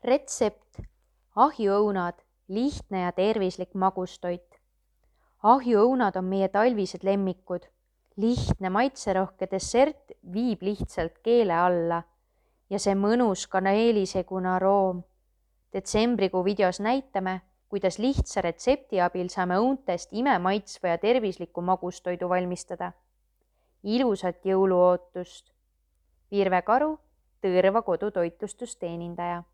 Retsept: ahjuõunad, lihtne ja tervislik magustoit. Ahjuõunad on meie talvised lemmikud. Lihtne maitserohke dessert viib lihtsalt keele alla ja see mõnus kaneelisegune aroom. Detsembrikuu videos näitame, kuidas lihtsa retsepti abil saame õuntest imemaitsva ja tervisliku magustoidu valmistada. Ilusat jõuluootust! Virve Karu, Tõrva kodutoitlustusteenindaja.